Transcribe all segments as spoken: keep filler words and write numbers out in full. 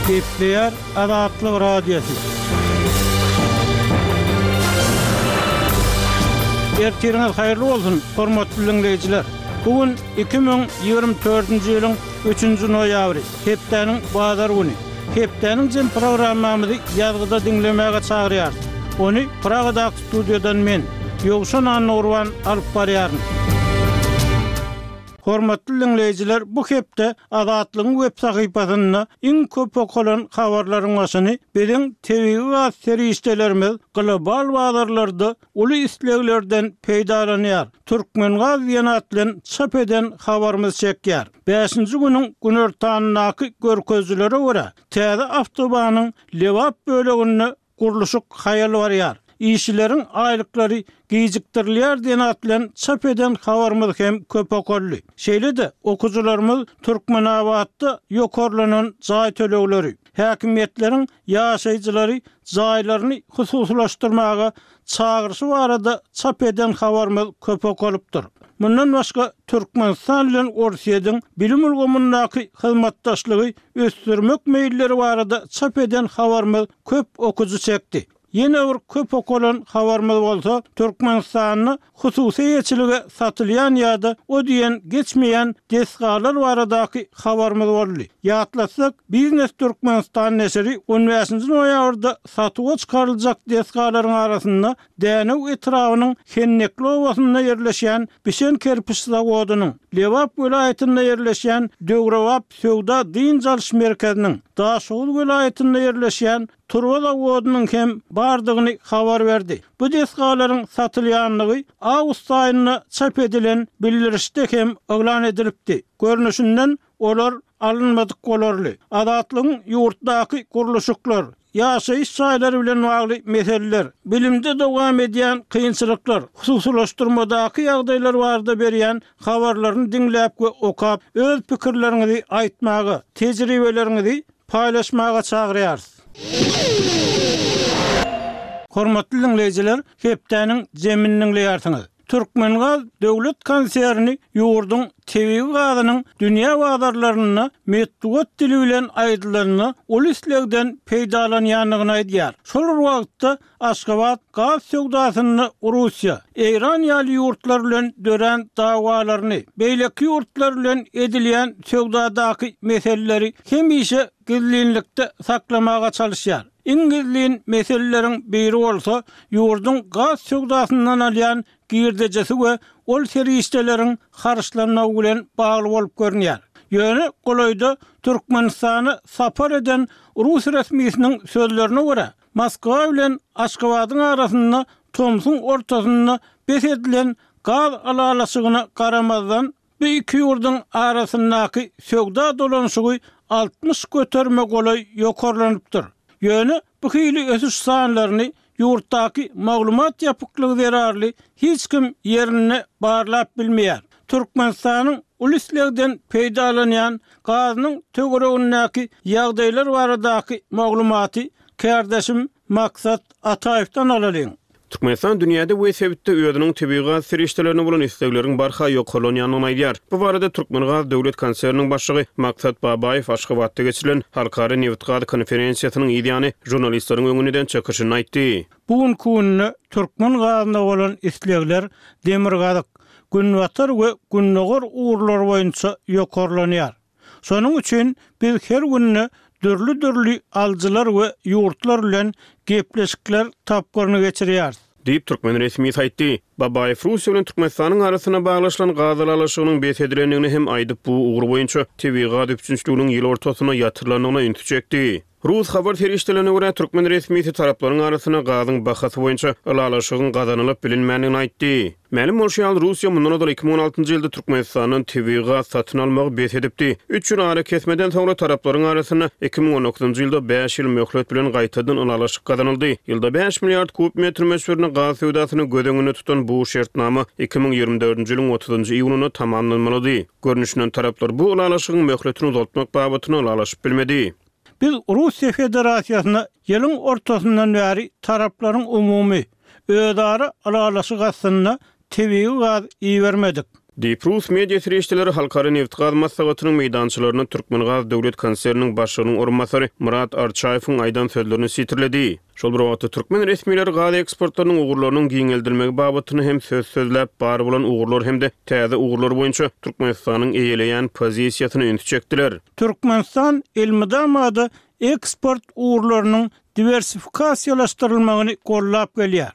Gepleýär Azatlyk Radiosy. Ertiriňiz haýyrly bolsun, hormatly diňleýjiler. Bu gün iki müň ýigrimi dördünji ýylyň üçünji noýabry, hepdäniň bazar güni. Hepdäniň jem programmamyzy ýazgyda diňlemäge çagyrýarys. Ony Pragadaky studiýadan men, Ýowşan Annagurban alyp barýaryn. Hormatly diňleýjiler, bu hepde Azatlygyň web sahypasynda iň köp okalan habarlaryň başyny biziň tebigy gaz serişdelerimiz global bazarlarda uly isleglerden peýdalanýar. Türkmengaz diýen at bilen çap eden habarymyz çekýär. Bäşinji günüň günortanyndaky görkezijilere görä, täze awtobanyň Lebap böleginde gurluşyk haýal barýar. Işçileriň aýlyklary gijikdirilýär diýen at bilen çap eden habarymyz hem köp okaldy. Şeýle-de okyjylarymyz Türkmenabatda ýokarlanan jaý tölegleri, häkimiýetleriň ýaşaýjylary jaýlaryny hususylaşdyrmaga çagyryşy barada çap eden habarymyz köp okalypdyr. Mundan başga Türkmenistan bilen Orsýetiň bilim ulgamyndaky hyzmatdaşlygy ösdürmek meýilleri barada çap eden habarymyz köp okyjy çekdi. Ýene bir köp okalan habarymyz bolsa Türkmenistanda hususy eýeçilige satylýan ýa-da o diýen geçmeýän desgalar baradaky habarymyz boldy. Ýatlatsak, Biznes Türkmenistan neşiri on bäşinji noýabrda satuwa çykaryljak desgalaryň arasynda Dänew etrabynyň Hennekli obasynda ýerleşýän Bişen kerpiç zawodynyň, Lebap welaýatynda ýerleşýän döwrebap söwda dynç alyş merkeziniň, Daşoguz welaýatynda ýerleşýän turba zawodynyň hem bardygyny habar berdi. Bu desgalaryň satylýandygy awgust aýynda çap edilen bildirişde hem yglan edilipdi. Görnüşinden olar alynmadyk bolarly. Azatlygyň ýurtdaky gurluşyklar, ýaşaýyş jaýlary bilen bagly meseleler, bilimde dowam edýän kynçylyklar, hususylaşdyrmadaky ýagdaýlar barada berýän habarlaryny diňläp we okap, öz pikirleriňizi aýtmaga, tejribeleriňizi paýlaşmaga çagyrýarys. Hormatly diňleýjiler, hepdäniň jemini diňleýärsiňiz. Türkmengaz döwlet konserni ýurduň tebigy gazynyň dünýä bazarlarynda metbugat dili bilen aýdylanda uly islegden peýdalanýandygyny aýdýar. Şol bir wagtda Aşgabat gaz söwdasynda Russiýa, Eýran ýaly ýurtlar bilen dörän dawalaryny, beýleki ýurtlar bilen edilýän söwdadaky meseleleri hemişe gizlinlikde saklamaga çalyşýar. Iň gizlin meseleleriň biri bolsa ýurduň gaz söwdasyndan alýan girdejisi we ol serişdeleriň harçlanmagy bilen bagly bolup görünýär. Ýöne golaýda Türkmenistana sapar eden rus resmisiniň sözlerine görä, Moskwa bilen Aşgabadyň arasynda tomsuň ortasynda bes edilen gaz ylalaşygyna garamazdan, bu iki ýurduň arasyndaky söwda dolanyşygy altmyş göterime golaý ýokarlanypdyr. Ýöne bu hili ösüş sanlaryny ýurtdaky maglumat ýapyklygy zerarly hiç kim ýerinde barlap bilmeýär. Türkmenistanyň uly islegden peýdalanýan gazynyň töweregindäki ýagdaýlar baradaky maglumaty kärdeşim Maksat Ataýewden alalyň. Türkmenistan dünýäde we sebitde özüniň tebigy gaz serişdelerine bolan islegleriň barha ýokarlanýandygyny aýdýar. Bu barada Türkmengaz döwlet konserniniň başlygy Maksat Babaýew Aşgabatda geçirilen Halkara nebitgaz konferensiýasynyň yzýany žurnalistleriň öňünde eden çykyşynda aýtdy. Bu günki günde türkmen gazyna bolan islegler demirgazyk, günbatar we gündogar ugurlar boýunça ýokarlanýar. Şonuň üçin biz her günde dürli-dürli alyjylar we ýurtlar bilen gepleşikler tapgyryny geçirýäris. Diýip, türkmen resmisi aýtdy. Babaýew Russiýa bilen Türkmenistanyň arasynda baglaşylan gaz ylalaşygynyň bes edilendigini hem aýdyp, bu ugur boýunça tebigy gaz üpjünçiliginiň ýyl ortasynda ýatyrylandygyna ünsi çekdi. Rus habar serişdelerine görä, türkmen resmisi taraplaryň arasynda gazyň bahasy boýunça ylalaşygyň gazanylyp bilinmändigini aýtdy. Mälim bolşy ýaly, Russiýa mundan ozal iki müň on altynjy ýylda Türkmenistandan tebigy gaz satyn almagy bes edipdi. Üç ýyl arakesmeden soňra taraplaryň arasynda iki müň on dokuzynjy ýylda bäş ýyl möhlet bilen gaýtadan ylalaşyk gazanyldy. Ýylda bäş milliard kub metr möçberinde gaz söwdasyny göz öňünde tutan bu şertnama iki müň ýigrimi dördünji ýylyň otuzynjy iýunynda tamamlanmalydy. Görnüşinden taraplar bu ylalaşygyň möhletini uzaltmak babatynda ylalaşyp bilmedi. Biz Russiýa Federasiýasyna ýylyň ortasyndan bäri taraplaryň umumy özara ylalaşyk astynda tebigy gaz ibermedik. Diýip, rus media serişdeleri Halkara nebitgaz maslahatynyň meýdançalarynda Türkmengaz döwlet konserniniň başlygynyň orunbasary Myrat Arçaýewiň aýdan sözlerini sitirledi. Şol bir wagtda, türkmen resmileri gaz eksportlarynyň ugurlarynyň giňeldilmegi babatynda hem söz sözläp, bar bolan ugurlar hem-de täze ugurlar boýunça Türkmenistanyň eýeleýän pozisiýasyna ünsi çekdiler. Türkmenistan elmydama-da eksport ugurlarynyň diwersifikasiýalaşdyrylmagyny gollap gelýär.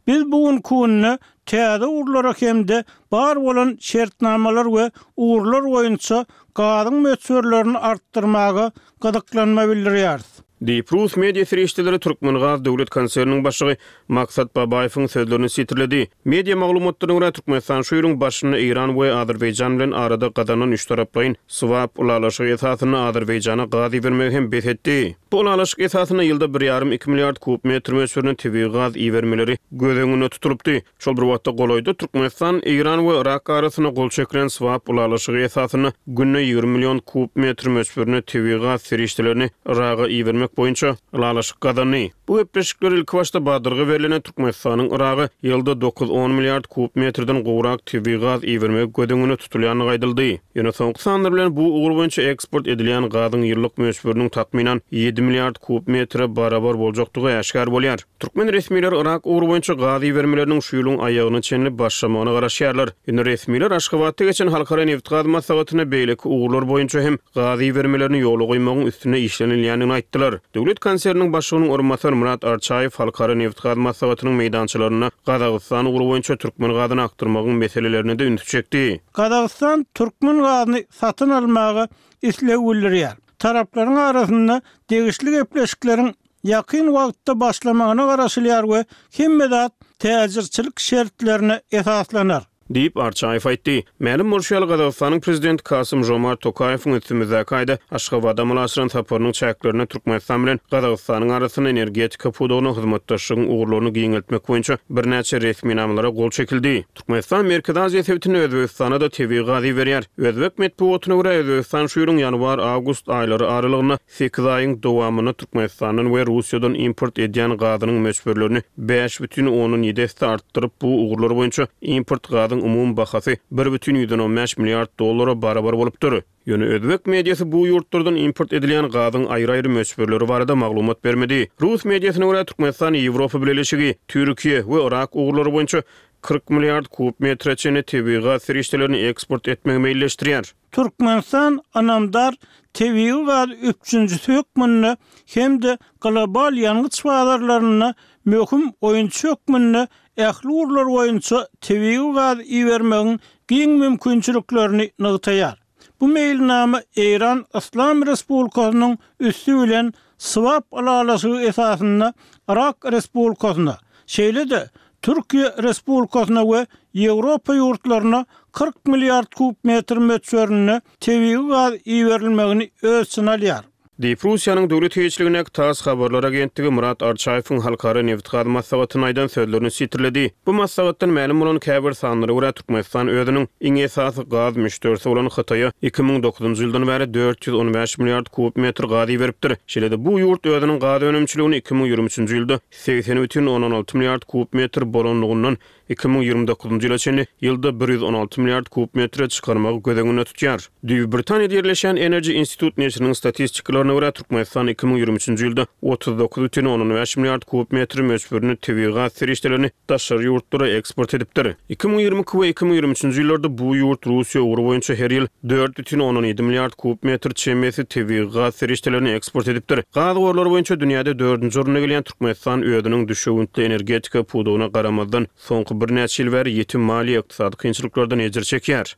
Biz bu günki günde täze ugurlara hem-de bar bolan şertnamalar we ugurlar boýunça gazyň möçberlerini artdyrmaga gyzyklanma bildirýäris. Diýip, rus media serişdeleri Türkmengaz döwlet konserniniň başlygy Maksat Babaýewiň sözlerini sitirledi. Media maglumatlaryna görä, Türkmenistan şu ýylyň başynda Eýran we Azerbaýjan bilen arada gazanylan üçtaraplaýyn swap ylalaşygy esasynda Azerbaýjana gaz ibermegi hem bes etdi. Bu ylalaşyk esasynda ýylda bir ýarym-iki milliard kub metr möçberinde tebigy gaz ibermeleri göz öňünde tutulypdy. Şol bir wagtda, golaýda Türkmenistan, Eýran we Yrak arasynda gol çekilen swap ylalaşygy esasynda günde ýigrimi million kub metr möçberinde tebigy gaz serişdelerini Yraga ibermek boýunça ylalaşyk gazandy. Bu gepleşikler ilkibaşda badalga berlende Türkmenistanyň Yraga ýylda dokuz-on milliard kub metrden gowrak tebigy gaz ibermegi göz öňünde tutulýandygy aýdyldy. Ýöne soňky sanlar bilen bu ugur boýunça eksport edilýän gazyň ýyllyk möçberiniň takmynan ýedi milliard kub metre barabar boljakdygy äşgär bolýar. Türkmen resmileri Yrak ugry boýunça gaz ibermeleriniň şu ýylyň aýagyna çenli başlamagyna garaşýarlar. Ýöne resmiler Aşgabatda geçen Halkara nebitgaz maslahatynda beýleki ugurlar boýunça hem gaz ibermelerini ýola goýmagyň üstünde işlenilýändigini aýtdylar. Döwlet konserniniň başlygynyň orunbasary Myrat Arçaýew Halkara nebitgaz maslahatynyň meýdançalarynda Gazagystan ugry boýunça türkmen gazyny akdyrmagyň meselelerine-de ünsi çekdi. Gazagystan türkmen gazyny satyn almaga isleg bildirýär. Taraplaryň arasynda degişli gepleşikleriň ýakyn wagtda başlamagyna garaşylýar we hemme zat täjirçilik şertlerine esaslanar. Diýip, Arçaýew aýtdy. Mälim bolşy ýaly, Gazagystanyň Prezidenti Kasym-Žomart Tokaýewiň üstümizdäki aýda Aşgabada amala aşyran saparynyň çäklerinde Türkmenistan bilen Gazagystanyň arasynda energetika pudagynda hyzmatdaşlygyň ugurlaryny giňeltmek boýunça birnäçe resminamalara gol çekildi. Türkmenistan Merkezi Aziýa sebitinde Özbegistana-da tebigy gaz iberýär. Özbek metbugatyna görä, Özbegistan şu ýylyň ýanwar-awgust aýlary aralygynda sekiz aýyň dowamynda Türkmenistandan we Russiýadan import edýän gazynyň möçberlerini bäş bütin ondan ýedi esse artdyryp, bu ugurlar boýunça import gazyň umumy bahasy bir bütin ýüzden on bäş milliard dollara barabar bolupdyr. Ýöne özbek mediasy bu ýurtlardan import edilýän gazyň aýry-aýry möçberleri barada maglumat bermedi. Rus mediasyna görä, Türkmenistan Ýewropa Bileleşigi, Türkiýe we Yrak ugurlary boýunça kyrk milliard kub metre çenli tebigy gaz serişdelerini eksport etmegi meýilleşdirýär. Türkmenistan ynamdar tebigy gaz üpjünçisi hökmünde hem-de global ýangyç bazarlarynda möhüm oýunçy hökmünde ähli ugurlar boýunça tebigy gaz ibermegiň giň mümkinçiliklerini nygtaýar. Bu meýilnama Eýran Yslam Respublikasynyň üsti bilen swap ylalaşygy esasynda Yrak Respublikasyna, şeýle-de Türkiýe Respublikasyna we Ýewropa ýurtlaryna kyrk milliard kub metr möçberinde tebigy gaz iberilmegini öz içine alýar. Diýip, Russiýanyň döwlet eýeçiligindäki TASS habarlar agentligi Myrat Arçaýewiň Halkara nebitgaz maslahatynda aýdan sözlerini sitirledi. Bu maslahatdan mälim bolan käbir sanlara görä, Türkmenistan özüniň iň esasy gaz müşderisi bolan Hytaýa iki müň dokuzynjy ýyldan bäri dört ýüz on bäş milliard kub metr gaz iberipdir. Şeýle-de bu ýurt özüniň gaz önümçiligini iki müň ýigrimi üçünji ýylda segsen bütin ondan alty milliard kub metr bolanlygyndan iki müň ýigrimi dokuzynjy ýyla çenli ýylda bir ýüz on alty milliard kub metre çykarmagy göz öňünde tutýar. Düýbi Britaniýada ýerleşýän Energy Institute neşiriniň statistikalaryna görä, Türkmenistan iki müň ýigrimi üçünji ýylda otuz dokuz bütin ondan bäş milliard kub metr möçberinde tebigy gaz serişdelerini daşary ýurtlara eksport edipdir. Iki müň ýigrimi iki we iki müň ýigrimi üçünji ýyllarda bu ýurt Russiýa ugry boýunça her ýyl dört bütin ondan ýedi milliard kub metr çemesi tebigy gaz serişdelerini eksport edipdir. Gaz gorlary boýunça dünýäde dördünji orunda gelýän Türkmenistan özüniň düşewüntli energetika pudagyna garamazdan, soňky birnäçe ýyl bäri ýiti maliýe-ykdysady kynçylyklardan ejir çekýär.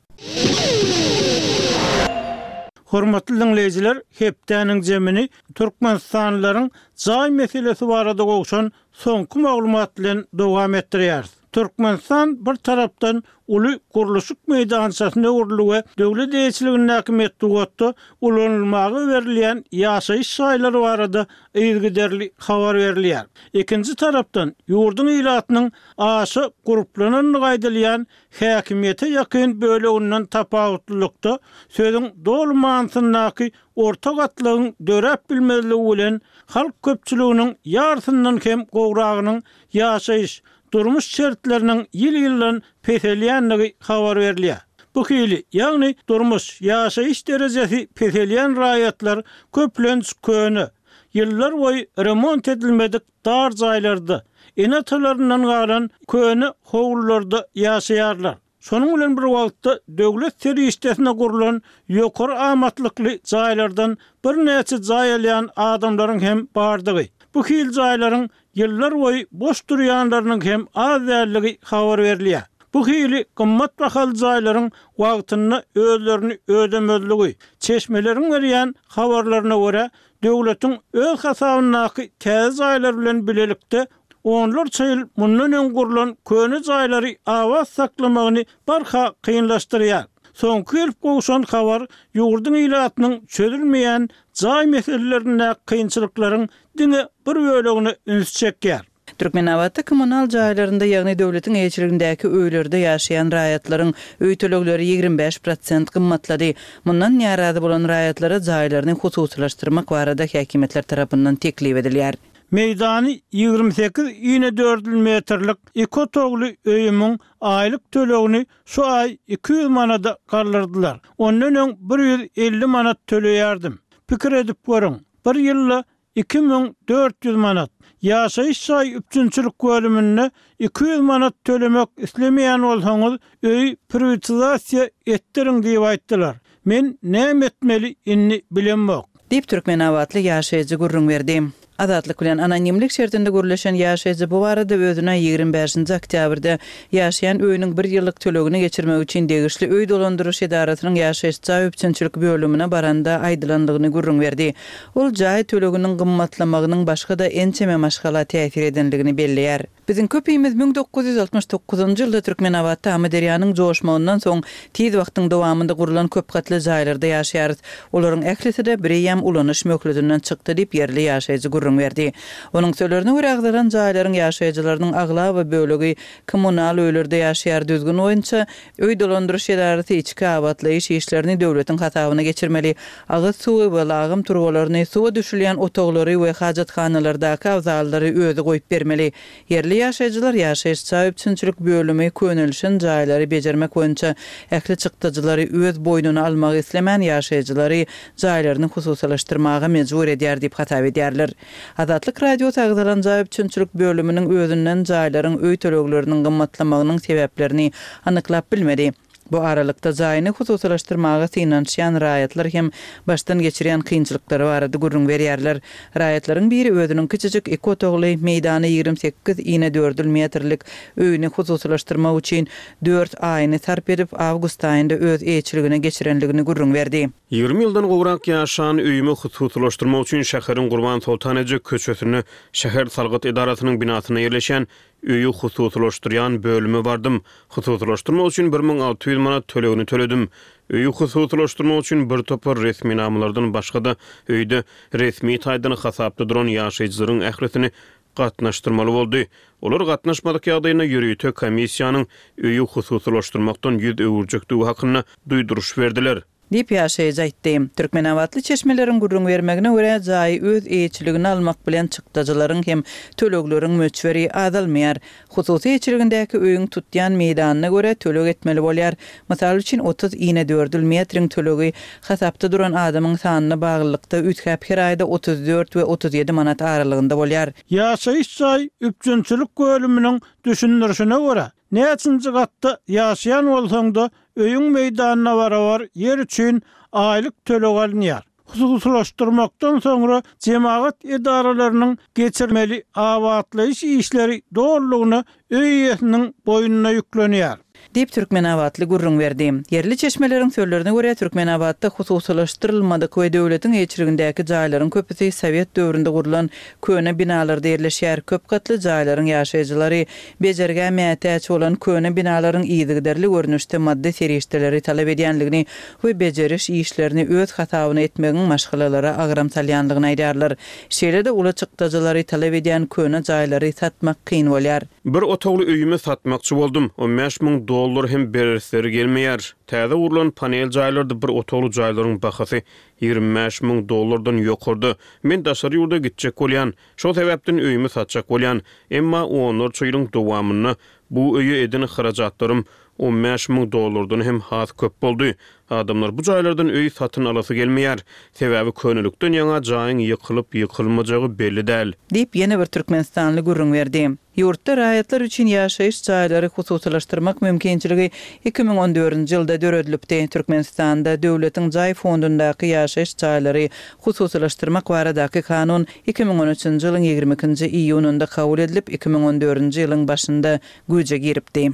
Hormatly diňleýjiler, hepdäniň jemini türkmenistanlylaryň jaý meselesi barada gowşan soňky maglumat bilen dowam etdirýäris. Türkmenistan bir tarapdan uly gurluşyk meýdançasyna öwrüldi we döwlet eýeçiligindäki metbugatda ulanylmaga berilýän ýaşaýyş jaýlary barada yzygiderli habar berilýär. Ikinji tarapdan ýurduň ilatynyň aşa gurplanandygy aýdylýan häkimiýete ýakyn böleginden tapawutlylykda sözüň doly manysyndaky orta gatlagyň döräp bilmezligi bilen halk köpçüliginiň ýarysyndan hem gowragynyň ýaşaýyş, durmuş şertleriniň ýyl-ýyldan peselýändigi habar berilýär. Bu hili, ýagny durmuş, ýaşaýyş derejesi peselýän raýatlar köplenç köne, ýyllar boýy remont edilmedik dar jaýlarda, ene-atalaryndan galan köne howlularda ýaşaýarlar. Şonuň bilen bir wagtda döwlet serişdesine gurlan ýokary amatlykly jaýlardan birnäçe jaý alýan adamlaryň hem bardygy, bu hil jaýlaryň ýyllar boýy boş durýanlarynyň hem az däldigi habar berilýär. Bu hili gymmat bahaly jaýlaryň wagtynda özlerini ödemezligi, çeşmeleriň berýän habarlaryna görä, döwletiň öz hasabyndaky täze jaýlar bilen bilelikde onlarça ýyl mundan öň gurlan köne jaýlary abat saklamagyny barha kynlaşdyrýar. Soňky gelip gowşan habar ýurduň ilatynyň çözülmeýän jaý meselelerindäki kynçylyklaryň diňe bir bölegine üns çekýär. Türkmenabatda kommunal jaýlarynda, ýagny döwletiň eýeçiligindäki öýlerde ýaşaýan raýatlaryň öý tölegleri ýigrimi bäş prosent gymmatlady. Mundan närazy bolan raýatlara jaýlaryny hususylaşdyrmak barada häkimiýetler tarapyndan teklip edilýär. Meýdany ýigrimi sekiz inedördül metrlik iki otagly öýümiň aýlyk tölegini şu aý iki ýüz manada galdyrdylar. Ondan öň bir ýüz elli manat töleýärdim. Pikir edip görüň, bir ýylda iki müň dört ýüz manat. Ýaşaýyş jaý üpjünçilik bölüminde iki ýüz manat tölemek islemeýän bolsaňyz, öýi priwatizasiýa etdiriň diýip aýtdylar. Men näme etmeli indi bilemok. Diýip, türkmenabatly ýaşaýjy gürrüň berdi. Azatlyk bilen anonimlik şertinde gürleşen ýaşaýjy bu barada özüne ýigrimi bäşinji oktýabrda ýaşaýan öýüniň bir ýyllyk tölegini geçirmek üçin degişli öý dolandyryş edarasynyň ýaşaýyş jaý üpjünçilik bölümine baranda aýdylandygyny gürrüň berdi. Ol jaý töleginiň gymmatlamagynyň başga-da ençeme maşgala täsir edendigini belleýär. Biziň köpimiz müň dokuz ýüz altmyş dokuzynjy ýylda Türkmenabatda Amyderýanyň joşmagyndan soň tiz wagtyň dowamynda gurlan köp gatly jaýlarda ýaşaýarys. Olaryň ählisi-de bireýýäm ulanyş möhletinden çykdy diýip, ýerli ýaşaýjy gürrüň berdi. Onuň sözlerine görä, agzalan jaýlaryň ýaşaýjylarynyň aglaba bölegi kommunal öýlerde ýaşaýar. Düzgün boýunça, öý dolandyryş edarasy içki abatlaýyş işlerini döwletiň hasabyna geçirmeli. Agyz suwy we lagym turbalaryny, suwa düşülýän otaglary we hajathanalardaky abzallary özi goýup bermeli. Ýerli ýaşaýjylar ýaşaýyş jaý üpjünçilik bölümi könelişen jaýlary bejermek boýunça ähli çykdajylary öz boýnuna almagy islemän ýaşaýjylary jaýlaryny hususylaşdyrmaga mejbur edýär diýip hasap edýärler. Azatlyk Radiosy agzalan jaý üpjünçilik bölüminiň özünden jaýlaryň öý tölegleriniň gymmatlamagynyň sebäplerini anyklap bilmedi. Bu aralykda jaýyny hususylaşdyrmaga synanyşýan raýatlar hem başdan geçirýän kynçylyklary barada gürrüň berýärler. Raýatlaryň biri özüniň kiçijik iki otagly, meýdany ýigrimi sekiz inedördül metrlik öýüni hususylaşdyrmak üçin dört aýyny sarp edip, awgust aýynda öz eýeçiligine geçirenligini gürrüň berdi. Ýigrimi ýyldan gowrak ýaşan öýümi hususylaşdyrmak üçin şäheriň Gurbansoltan eje köçesinde şäher salgyt edarasynyň binasynda ýerleşýän öýi hususylaşdyrýan bölüme bardym. Hususylaşdyrmak üçin bir müň alty ýüz manat tölegini töledim. Öýi hususylaşdyrmak üçin bir topar resminamalardan başga-da öýde resmi taýdan hasapda duran ýaşaýjylaryň ählisini gatnaşdyrmaly boldy. Olar gatnaşmadyk ýagdaýynda ýörite komissiýanyň öýi hususylaşdyrmakdan ýüz öwürjekdigi hakynda duýduryş berdiler. Diýip, ýaşaýjy aýtdy. Türkmenabatly çeşmeleriň gürrüň bermegine görä, jaýy öz eýeçiligine almak bilen çykdajylaryň hem tölegleriň möçberi azalmaýar. Hususy eýeçiligindäki öýüň tutýan meýdanyna görä töleg etmeli bolýar. Mysal üçin, otuz inedördül metriň tölegi hasapda duran adamyň sanyna baglylykda üýtgäp her aýda otuz dört we otuz ýedi manat aralygynda bolýar. Ýaşaýyş jaý üpjünçilik bölüminiň düşündirişine görä, näçinji gatda ýaşaýan bolsaň-da, öýüň meýdanyna barabar ýer üçin aýlyk töleg alynýar. Hususylaşdyrmakdan soňra jemagat edaralarynyň geçirmeli abatlaýyş işleri dolulygyna öý eýesiniň boýnuna ýüklenýär. Diýip, Türkmenabatly gürrüň berdi. Ýerli çeşmeleriň sözlerine görä, Türkmenabatda hususylaşdyrylmadyk we döwletiň eýeçiligindäki jaýlaryň köpüsi sowet döwründe gurlan köne binalarda ýerleşýär. Köp gatly jaýlaryň ýaşaýjylary bejergä mätäç bolan köne binalaryň yzygiderli görnüşde maddy serişdeleri talap edýänligini we bejeriş işlerini öz hasabyna etmegiň maşgalalara agram salýanlygyny aýdýarlar. Şeýle-de uly çykdajylary talap edýän köne jaýlary satmak kyn bolýar. Bir otagly öýümi satmakçy boldum. On bäş müň dollar hem beresleri gelmeýär. Täze gurlan panel jaýlarda bir otagly jaýlaryň bahasy ýigrimi bäş müň dollardan ýokarda. Men daşary ýurda gitjek bolýan. Şol sebäpden öýümi satjak bolýan. Emma onlarça ýylyň dowamynda bu öýe eden harajatlarym on bäş müň dollardan hem has köp boldy. Adamlar bu jaýlardan öý satyn alasy gelmeýär. Sebäbi könelikden ýaňa jaýyň ýykylyp-ýykylmajagy belli däl. Diýip, ýene bir türkmenistanly gürrüň berdi. Ýurtda raýatlar üçin ýaşaýyş jaýlary hususylaşdyrmak mümkinçiligi iki müň on dördünji ýylda döredilipdi. Türkmenistanda döwletiň jaý fondundaky ýaşaýyş jaýlary hususylaşdyrmak baradaky kanun iki müň on üçünji ýylyň ýigrimi ikinji iýunynda kabul edilip, iki müň on dördünji ýylyň başynda güýje giripdi.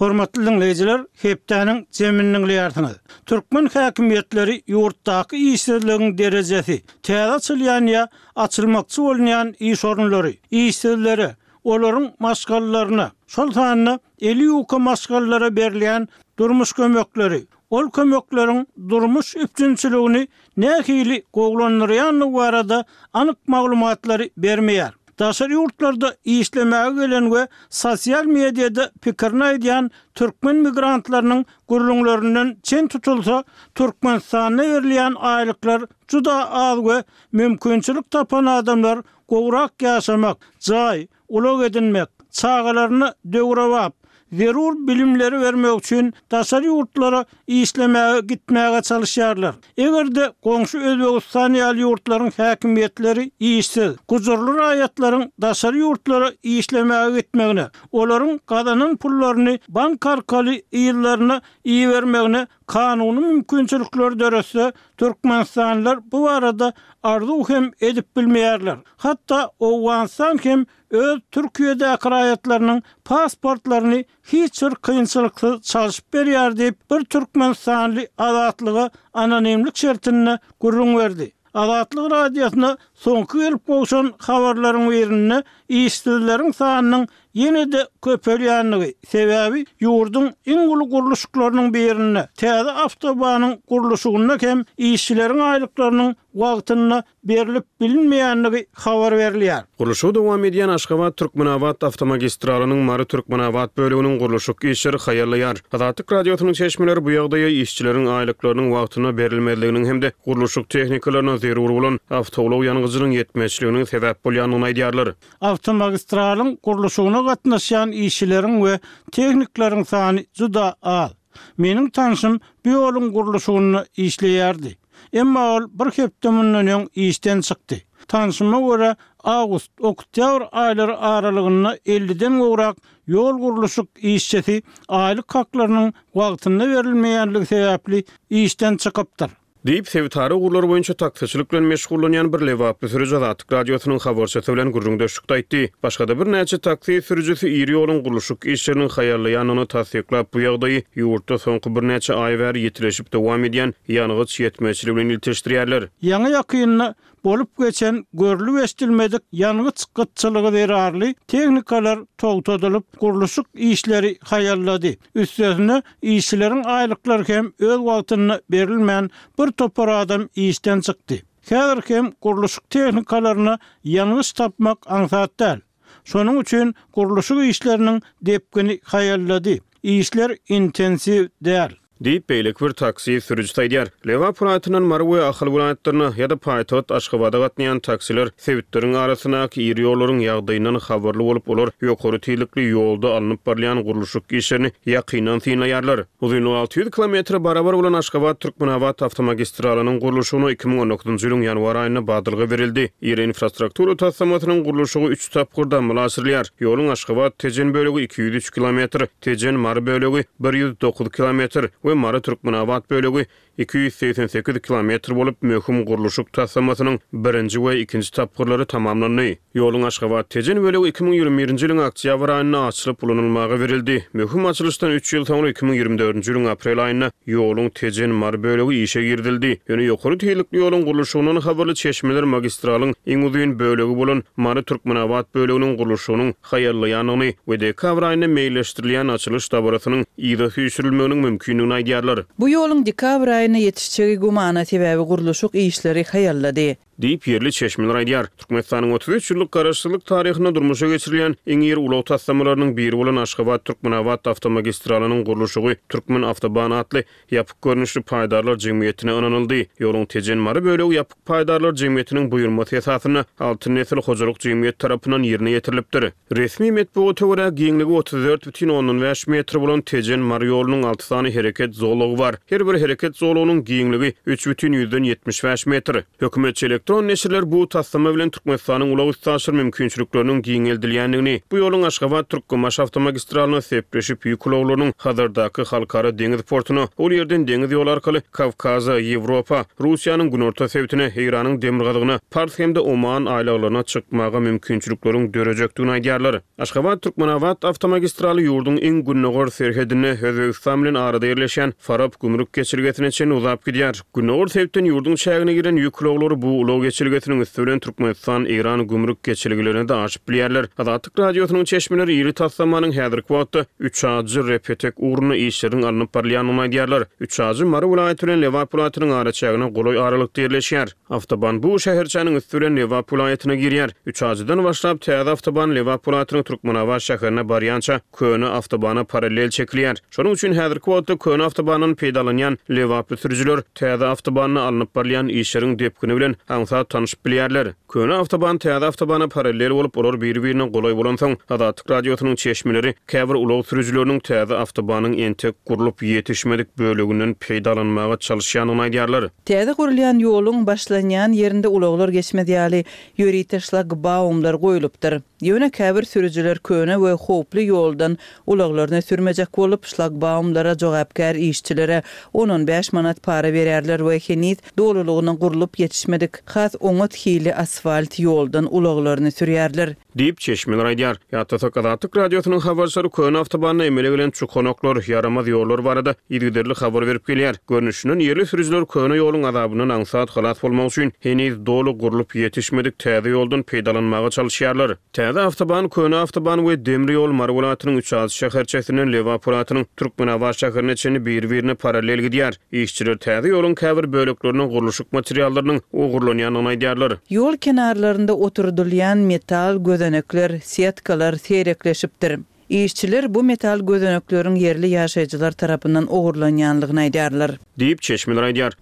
Hormatly dinleýjiler, hepdäniň jemini dinleýärsiňiz. Türkmen häkimiýetleri ýurtdaky işsizligiň derejesi, täze açylýan ýa açylmakçy bolunýan iş orunlary, işsizlere, olaryň maşgalalaryna, şol sanda eli ýuka maşgalalara berilýän durmuş kömekleri, ol kömekleriň durmuş üpjünçiligini nähili gowulandyrýandygy barada anyk maglumatlary bermeýär. Daşary ýurtlarda işlemäge gelen we sosial mediada pikirini aýdýan türkmen migrantlarynyň gürrüňlerinden çen tutulsa, Türkmenistanda berilýän aýlyklar juda az we mümkinçilik tapan adamlar gowrak ýaşamak, jaý, ulag edinmek, çagalaryna döwrebap, zerur bilimleri bermek üçin daşary ýurtlara işlemäge gitmäge çalışýarlar. Eger-de goňşy Özbegistan ýaly ýurtlaryň häkimiýetleri işsiz, gujurly raýatlaryň daşary ýurtlara işlemäge gitmegine, olaryň gazanan pullaryny bank arkaly ýyllaryna ibermegine kanuny mümkinçilikler döretse, Türkmenistanlylar bu barada arzuw hem edip bilmeýärler. Hatda Owganystan hem öz Türkiýedäki raýatlarynyň pasportlaryny hiç bir kynçylyksyz çalşyp berýär diýip, bir türkmenistanly Azatlyga anonimlik şertinde gürrüň berdi. Azatlyk radiosyna soňky gelip gowşan habarlaryň birinde işsizleriň sanynyň ýene-de köpelýändigi, sebäbi ýurduň iň uly gurluşyklarynyň birinde, täze awtobanyň gurluşygynda hem işçileriň aýlyklarynyň wagtynda berilip bilinmeýändigi habar berilýär. Gurluşygy dowam edýän Aşgabat-Türkmenabat awtomagistralynyň Mary-Türkmenabat böleginiň gurluşyk işleri haýallaýar. Azatlyk radiosynyň çeşmeleri bu ýagdaýa işçileriň aýlyklarynyň wagtynda berilmezliginiň hem-de gurluşyk tehnikalaryna zerur bolan awtoulag ýangyjynyň ýetmezçiliginiň sebäp bolýandygyny aýdýarlar. Awtomagistralyň gurluşygyna gatnaşýan işçileriň we tehnikleriň sany juda az. Meniň tanşym bu ýoluň gurluşygynda işleýärdi. Emma ol bir hepde mundan öň işden çykdy. Tanşyma görä awgust, oktýabr aýlary aralygynda elliden gowrak ýol gurluşyk işçisi aýlyk haklarynyň wagtynda berilmeýänligi sebäpli işden çykypdyr. Diýip, sebitara ugurlar boýunça taksiçilik bilen meşgullanýan bir lebaply sürüji Azatlyk radiosynyň habarçysy bilen gürrüňdeşlikde aýtdy. Başga-da birnäçe taksi sürüjisi iri ýoluň gurluşyk işleriniň haýallaýandygyny tassyklap, bu ýagdaýy ýurtda soňky birnäçe aý bäri ýitileşip dowam edýän ýangyç ýetmezçiligi bilen ilteşdirýärler. Ýaňy ýakynda bolup geçen görlüp eşidilmedik ýangyç gytçylygy zerarly tehnikalar togtadylyp, gurluşyk işleri haýallady. Üstesine işçileriň aýlyklary hem öz wagtynda berilmän bir topar adam işden çykdy. Häzir hem gurluşyk tehnikalaryna ýangyç tapmak aňsat däl. Şonuň üçin gurluşyk işleriniň depgini haýallady. Işler intensiw däl. Diýip, beýleki bir taksi sürüjisi aýdýar. Lebap welaýatyndan Mary we Ahal welaýatlaryna ýa-da paýtagt Aşgabada gatnaýan taksiler sebitleriň arasyndaky iri ýollaryň ýagdaýyndan habarly bolup, olar ýokary tizlikli ýolda alnyp barylýan gurluşyk işlerini ýakyndan synlaýarlar. Uzynlygy alty ýüz kilometre barabar bolan Aşgabat-Türkmenabat awtomagistralynyň gurluşygyna iki müň on dokuzynjy ýylyň ýanwar aýynda badalga berildi. Iri infrastruktura taslamasynyň gurluşygy üç tapgyrda amala aşyrylýar. Ýoluň Aşgabat-Tejen bölegi iki ýüz üç kilometr, Tejen-Mary bölegi bir ýüz dokuz kilometr we Mary-Türkmenabat bölegi iki ýüz segsen sekiz kilometr bolup, möhüm gurluşyk taslamasynyň birinji we ikinji tapgyrlary tamamlandy. Ýoluň Aşgabat-Tejen bölegi iki müň ýigrimi birinji ýylyň oktýabr aýynda açylyp ulanylmaga berildi. Möhüm açylyşdan üç ýyl soňra iki müň ýigrimi dördünji ýylyň aprel aýynda ýoluň Tejen-Mary bölegi işe girizildi. Ýöne ýokary tizlikli ýoluň gurluşygyndan habarly çeşmeler magistralyň iň uzyn bölegi bolan Mary-Türkmenabat böleginiň gurluşygynyň haýallaýandygyny we dekabr aýynda meýilleşdirilýän açylyş dabarasynyň yza süýşürilmeginiň mümkindigini aýdýarlar. Bu ýoluň dekabr aýynda ýetişjegi gümana, sebäbi gurluşyk işleri haýallady. Diýip, ýerli çeşmeler aýdýar. Türkmenistanyň otuz üç ýyllyk Garaşsyzlyk taryhynda durmuşa geçirilýän iň iri ulag taslamalarynyň biri bolan Aşgabat-Türkmenabat awtomagistralynyň gurluşygy Türkmenawtoban atly ýapyk görnüşli paýdarlar jemgyýetine ynanyldy. Ýoluň Tejen-Mary bölegi ýapyk paýdarlar jemgyýetiniň buýurmasy esasynda Altyn nesil hojalyk jemgyýeti tarapyndan ýerine ýetirilipdir. Resmi metbugata görä, giňligi otuz dört bütin ondan bäş metr bolan Tejen-Mary ýolunyň alty sany hereket zolagy bar. Her bir hereket zolagynyň giňligi üç bütin ýüzden ýetmiş bäş metr. Hökümetçi elektron neşirler bu taslama bilen Türkmenistanyň ulag-üstaşyr mümkinçilikleriniň giňeldilýändigini, bu ýoluň Aşgabat-Türkmenbaşy awtomagistralyna sepleşip, ýük ulaglarynyň Hazardaky halkara deňiz portuna, ol ýerden deňiz ýoly arkaly Kawkaza, Ýewropa, Russiýanyň günorta sebitine, Eýranyň demirgazygyna, Pars hem-de Oman aýlaglaryna çykmaga mümkinçilikleriň dörejekdigini aýdýarlar. Aşgabat-Türkmenabat awtomagistraly ýurduň iň gündogar serhedinde, Özbegistan bilen arada ýerleşýän Farap gümrük geçelgesine çenli uzap gidýär. Gündogar sebitden ýurduň çägine giren ýük ulaglary bu ulag geçelgesiniň üsti bilen Türkmenistan-Eýran gümrük geçelgelerine-de aşyp bilýärler. Azatlyk Radiosynyň çeşmeleri iri taslamanyň häzirki wagtda Üçajy-Repetek ugrunda işleriň alnyp barylýandygyny aýdýarlar. Üçajy Mary welaýaty bilen Lebap welaýatynyň araçägine golaý aralykda ýerleşýär. Awtoban bu şäherçäniň üsti bilen Lebap welaýatyna girýär. Üçajydan başlap, täze awtoban Lebap welaýatynyň Türkmenabat şäherine barýança köne awtobana parallel çekilýär. Şonuň üçin häzirki wagtda köne awtobandan peýdalanýan lebaply sürüjiler täze awtobanda alnyp barylýan işleriň depgini bilen aňsat tanşyp bilýärler. Köne awtoban täze awtobana parallel bolup, olar biri-birine golaý bolansoň, Azatlyk Radiosynyň çeşmeleri käbir ulag sürüjileriniň täze awtobanyň entek gurlup ýetişmedik böleginden peýdalanmaga çalyşýandygyny aýdýarlar. Täze gurulýan ýoluň başlanýan ýerinde ulaglar geçmez ýaly ýörite şlagbaumlar goýlupdyr. Ýöne käbir sürüjiler köne we howply ýoldan ulaglaryny sürmejek bolup, şlagbaumlara jogapkär işçilere on-on bäş manat para berýärler we heniz dolulygyna gurlup ýetişmedik has oňat hili asfalt ýoldan ulaglaryny sürýärler. Diýip, çeşmeler aýdýar. Ýatlasak, Azatlyk Radiosynyň habarçylary köne awtobanda emele gelen çukanaklar, ýaramaz ýollar barada yzygiderli habar berip gelýär. Görnüşinden, ýerli sürüjiler köne ýoluň azabyndan aňsat halas bolmak üçin heniz doly gurlup ýetişmedik täze ýoldan peýdalanmaga çalyşýarlar. Täze awtoban köne awtoban we demir ýol Mary welaýatynyň Üçazy şäherçesinden Lebap welaýatynyň Türkmenabat şäherine çenli biri-birine parallel gidýär. Işçiler täze ýoluň käbir böleklerine gurluşyk materiallarynyň ogurlanýandygyny aýdýarlar. Ýol kenarlarynda oturdylýan metal gözenekler, setkalar seýrekleşipdir. Işçiler bu metal gözenekleriň ýerli ýaşaýjylar tarapyndan ogurlanýanlygyny aýdýarlar. Diýip, çeşmeler aýdýar.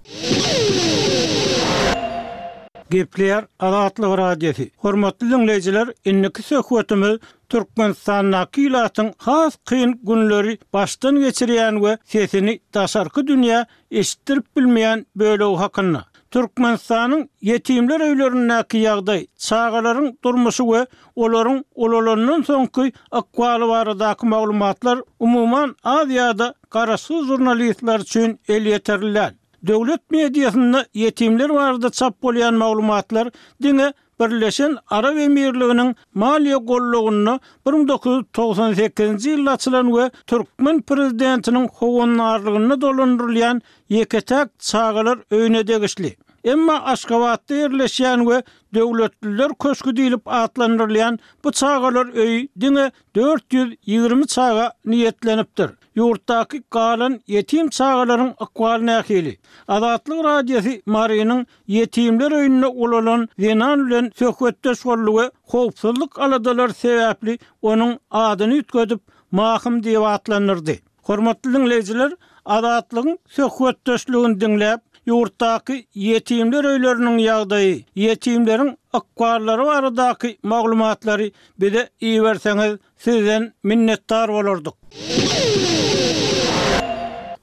Gepleýär Azatlyk Radiosy. Hormatly diňleýjiler, indiki söhbetimiz Türkmenistandaky ilatyň has kyn günleri başdan geçirýän we sesini daşarky dünýä eşitdirip bilmeýän bölegi hakynda. Türkmenistanyň ýetimler öýlerindäki ýagdaý, çagalaryň durmuşy we olaryň ulalandan soňky ykbaly baradaky maglumatlar umuman az ýa-da garaşsyz žurnalistler üçin elýeterli däl. Döwlet mediasynda ýetimler barada çap bolýan maglumatlar diňe Birleşen Arap Emirliginiň maliýe gollagynda bir müň dokuz ýüz togsan sekizinji ýylda açylan we türkmen prezidentiniň howandarlygynda dolandyrylýan ýeke-täk çagalar öýüne degişli. Emma Aşgabatda ýerleşýän we Döwletliler köşgi diýlip atlandyrylýan bu çagalar öýi diňe dört ýüz ýigrimi çaga niýetlenipdir. Ýurtdaky galan ýetim çagalaryň ykbaly nähili? Azatlyk Radiosy Marynyň ýetimler öýünde ulalan zenan bilen söhbetdeş boldy we howpsuzlyk aladalary sebäpli onuň adyny üýtgedip, Mahym diýip atlandyrdy. Hormatly diňleýjiler, Azatlygyň söhbetdeşligini diňläp, ýurtdaky ýetimler öýleriniň ýagdaýy, ýetimleriň ykballary baradaky maglumatlary bize iberseňiz, sizden minnetdar bolardyk.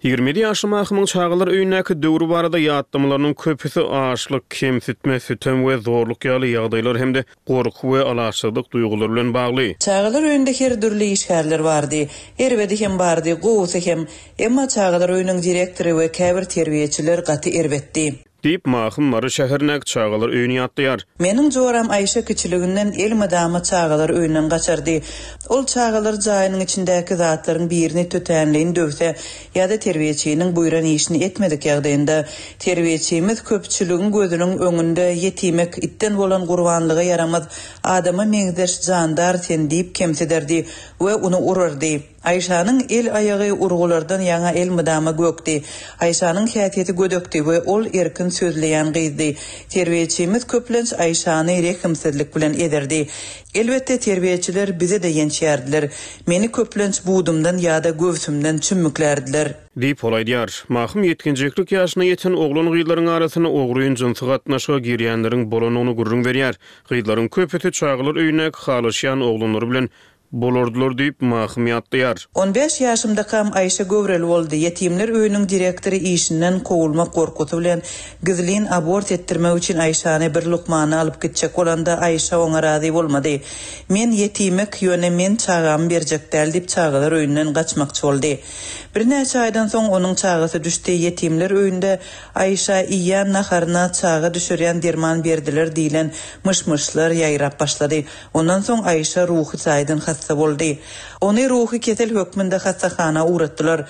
Ýigrimi ýedi ýaşly Mahymyň çagalar öýündäki döwri barada ýatlamalarynyň köpüsi açlyk, kemsitme, sütem we zorluk ýaly ýagdaýlar hem-de gorky we alaçsyzlyk duýgulary bilen bagly. Çagalar öýünde her dürli işgärler bardy. Erbedi hem bardy, gowusy hem. Emma çagalar öýüniň direktory we käbir terbiýeçiler gaty erbetdi. Diýip, Mahym Mary şäherindäki çagalar öýüni ýatlaýar. Meniň joram Aýşe kiçiliginden elmydama çagalar öýünden gaçardy. Ol çagalar jaýynyň içindäki zatlaryň birini tötänleýin döwse ýa-da terbiýeçiniň buýran işini etmedik ýagdaýynda, terbiýeçimiz köpçüligiň gözüniň öňünde ýetimek itden bolan gurbanlyga ýaramaz adama meňzeş jandar sen diýip kemsiderdi we ony urardy. Aýşanyň el-aýagy urgulardan ýaňa elmydama gökdi. Aýşanyň häsiýeti gödekdi we ol erkin sözleýän gyzdy. Terbiýeçimiz köplenç Aýşany rehimsizlik bilen ezerdi. Elbetde terbiýeçiler bizi-de ýençýärdiler. Meni köplenç budumdan ýa-da göwsümden çümmüklärdiler. Diýip, ol aýdýar. Mahym ýetginjeklik ýaşyna ýeten oglan-gyzlaryň arasynda ogryn jynsy gatnaşyga girýänleriň bolandygyny gürrüň berýär. Gyzlaryň köpüsi çagalar öýündäki halaşýan oglanlary bilen bolardylar diýip, Mahym ýatlaýar. On bäş ýaşymdakam Aýşe göwreli boldy. Ýetimler öýüniň direktory işinden kowulmak gorkusy bilen gizlin abort etdirmek üçin Aýşany bir lukmana alyp gitjek bolanda Aýşe oňa razy bolmady. Men ýetimek, ýöne men çagamy berjek däl diýip çagalar öýünden gaçmakçy boldy. Birnäçe aýdan soň onuň çagasy düşdi. Ýetimler öýünde Aýşa iýen naharyna çaga düşürýän derman berdiler diýlen myş-myşlar ýaýrap başlady. Ondan soň Aýşe ruhy taýdan hassa boldy. Ony ruhy kesel hökmünde hassahana ugratdylar.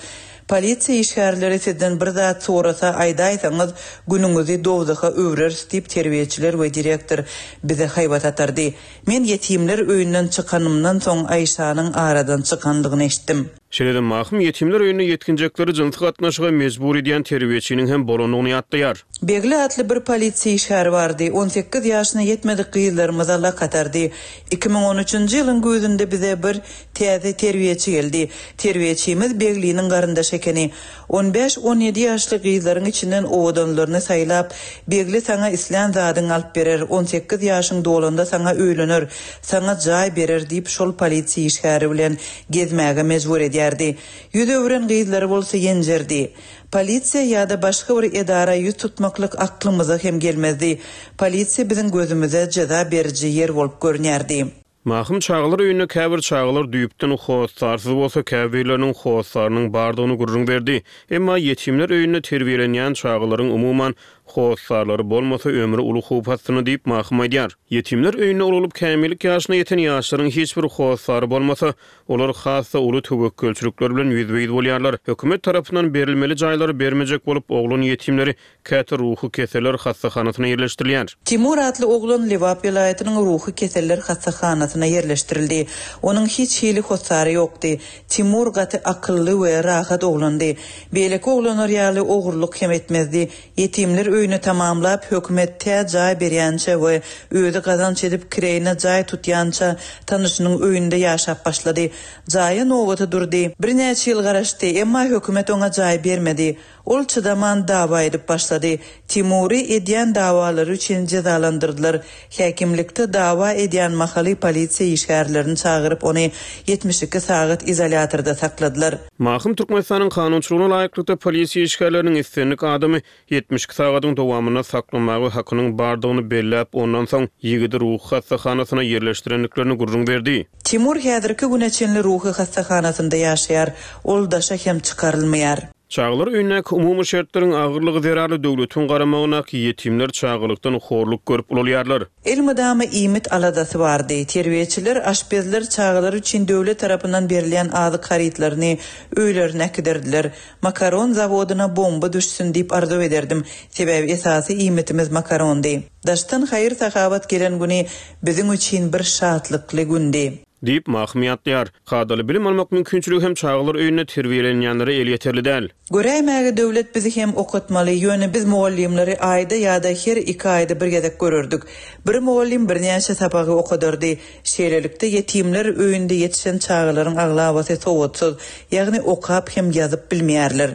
Polisiýa işgärleri sizden bir zat sorasa aýdaýsaňyz, günüňizi dowzaha öwreris diýip terbiýeçiler we direktor bize haýbat atardy. Men ýetimler öýünden çykanymdan soň Aýşanyň aradan çykandygyny eşitdim. Şeýle-de Mahym ýetimler öýünde ýetginjekleri jynsy gatnaşyga mejbur edýän terbiýeçiniň hem bolandygyny ýatlaýar. Begli atly bir polisiýa işgäri bardy. On sekiz ýaşyna ýetmedik gyzlarymyza lak atardy. Iki müň on üçünji ýylyň güýzünde bize bir täze terbiýeçi geldi. Terbiýeçimiz Begliniň garyndaşy ekeni. On bäş-on ýedi ýaşly gyzlaryň içinden owadanlaryny saýlap, Begli saňa islän zadyňy alyp berer, on sekiz ýaşyň dolanda saňa öýlener, saňa jaý berer diýip şol polisiýa işgäri bilen gezmäge mejbur edýärdi. Ýüz öwren gyzlary bolsa ýenjerdi. Polisiýa ýa-da başga bir edara ýüz tutmaklyk aklymyza hem gelmezdi. Polisiýa biziň gözümize jeza beriji ýer bolup görünýärdi. Mahym çagalar öýünde käbir çagalar düýpden hossarsyz bolsa käbirleriniň hossarynyň bardygyny gürrüň berdi. Emma ýetimler öýünde terbiýelenýän çagalaryň umuman hossarlary bolmasa ömri uly howp astynda diýip Mahym aýdýar. Ýetimler öýünde ululyp kämillik ýaşyna ýeten ýaşlaryň hiç bir hossary bolmasa, olar hassa uly töwekgelçilikler bilen ýüzbe-ýüz bolýarlar. Hökümet tarapyndan berilmeli jaýlary bermejek bolup oglan ýetimleri käte ruhy keseller hassahanasyna ýerleşdirilýär. Timur atly oglan Lebap welaýatynyň ruhy keseller hassahanasyna ýerleşdirildi. Onuň hiç hili hossary ýokdy. Timur gaty akylly we rahat oglandy. Beýleki oglanlar ýaly ogurlyk hem etmezdi. Ýetimler öýüni tamamlap hökümet tä jaý berýänçe we özi gazanç edip kireýine jaý tutýança tanyşynyň öýünde ýaşap başlady. Jaýa nobaty durdy. Birnäçe ýyl garaşdy, emma hökümet oňa jaý bermedi. Ol çydaman dawa edip başlady. Timury edýän dawalary üçin jezalandyrdylar. Häkimlikde dawa edýän mahaly polisiýa işgärlerini çagyryp ony ýetmiş iki sagat izolýatorda sakladylar. Mahym Türkmenistanyň kanunçylygyna laýyklykda polisiýa işgärleriniň islendik adamy ýetmiş iki sagadyň dowamynda saklamaga hakynyň bardygyny belläp, ondan soň ýigidi ruhy hassahanasyna ýerleşdirendiklerini gürrüň berdi. Timur häzirki güne çenli ruhy hassahanasynda ýaşaýar. Ol daşa hem çykarylmaýar. Çagalar öýündäki umumy şertleriň agyrlygy zerarly döwletiň garamagyndaky ýetimler çagalykdan horluk görüp ulalýarlar. Elmydama iýmit aladasy bardy. Terbiýeçiler, aşpezler çagalar üçin döwlet tarapyndan berilýän azyk harytlaryny öýlerine äkiderdiler. Makaron zawodyna bomba düşsün diýip arzuw ederdim. Sebäbi esasy iýmitimiz makarondy. Daşdan haýyr sahabat gelen güni biziň üçin bir şatlykly gündi. Diýip Mahym ýatlaýar. Kadaly bilim almak mümkinçiligi hem çagalar öýünde terbiýelenýänlere elýeterli däl. Göräýmäge döwlet bizi hem okatmaly, ýöne biz mugallymlary aýda ýa-da her iki aýda bir gezek görerdik. Bir mugallym birnäçe sapagy okadardy. Şeýlelikde ýetimler öýünde ýetişen çagalaryň aglabasy sowatsyz, ýagny okap hem ýazyp bilmeýärler.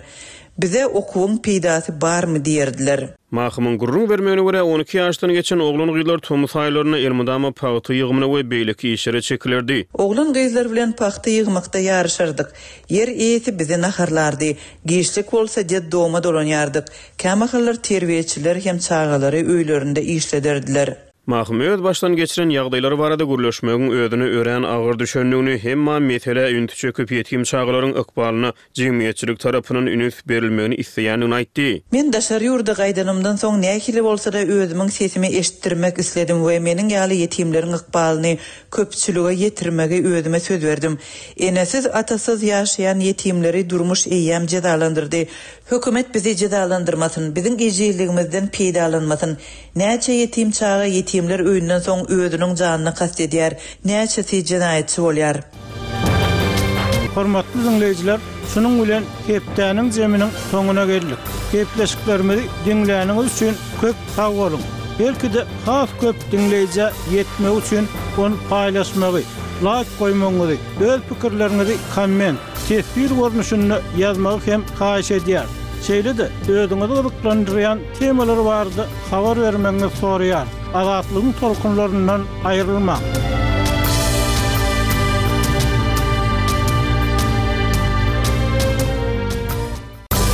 Bize okuwyň peýdasy barmy diýerdiler. Mahymyň gürrüň bermegine görä on iki ýaşdan geçen oglan gyzlar tomus aýlarynda elmydama pagta ýygymyna we beýleki işlere çekilerdi. Oglan gyzlar bilen pagta ýygmakda ýaryşardyk. Ýer eýesi bizi naharlardy. Giçlik bolsa deddoma dolanýardyk. Kämahallar terbiýeçiler hem çagalary öýlerinde işlederdiler. Mahym öz başdan geçiren ýagdaýlary barada gürleşmegiň özüne örän agyr düşendigini, emma mesele ünsi çekip ýetim çagalaryň ykbalyna jemgyýetçilik tarapyndan üns berilmegini isleýändigini aýtdy. Men daşary ýurda gaýdanymdan soň nähili bolsa-da özümiň sesimi eşitdirmek isledim we meniň ýaly ýetimleriň ykbalyny köpçülige ýetirmegi özüme söz berdim. Enesiz, atasyz ýaşaýan ýetimleri durmuş eýýäm jezalandyrdy. Hökümet bizi jezalandyrmasyn, biziň ejizligimizden peýdalanmasyn. Näçe ýetim çaga ýetimler öýünden soň özüniň janyna kast edýär, näçesi jenaýatçy bolýar. Hormatly diňleýjiler, şunuň bilen hepdäniň zeminiň soňuna geldik. Gepleşiklerimizi diňläniňiz üçin köp sag boluň. Belki-de has köp diňleýjä ýetmek üçin ony paýlaşmagy, laýk goýmagyňyzy, öz pikirleriňizi komment, teswir görnüşinde ýazmagy hem haýyş edýäris. Şeýle-de özüňizi gyzyklandyrýan temalar barada habar bermegiňizi soraýarys. Azatlygyň tolkunlaryndan aýrylmaň.